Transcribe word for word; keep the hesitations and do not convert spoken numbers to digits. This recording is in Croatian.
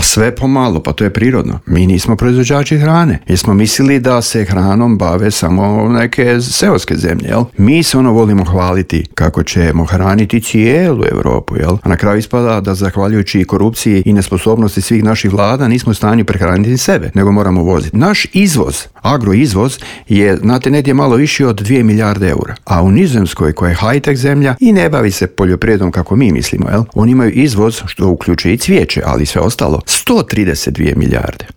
A sve pomalo, pa to je prirodno. Mi nismo proizvođači hrane, jer smo mislili da se hranom bave samo neke seoske zemlje, jel? Mi se ono volimo hvaliti kako ćemo hraniti cijelu Europu, jel? A na kraju ispada da zahvaljujući korupciji i nesposobnosti svih naših vlada nismo u stanju prehraniti sebe, nego moramo voziti. Naš izvoz, agroizvoz, je, znate, negdje malo više od dvije milijarde eura. A u Nizozemskoj, koja je high-tech zemlja i ne bavi se poljoprivredom kako mi mislimo, jel? Oni imaju izvoz, što uključuje i cvijeće, ali sve ostalo, sto trideset dvije milijarde.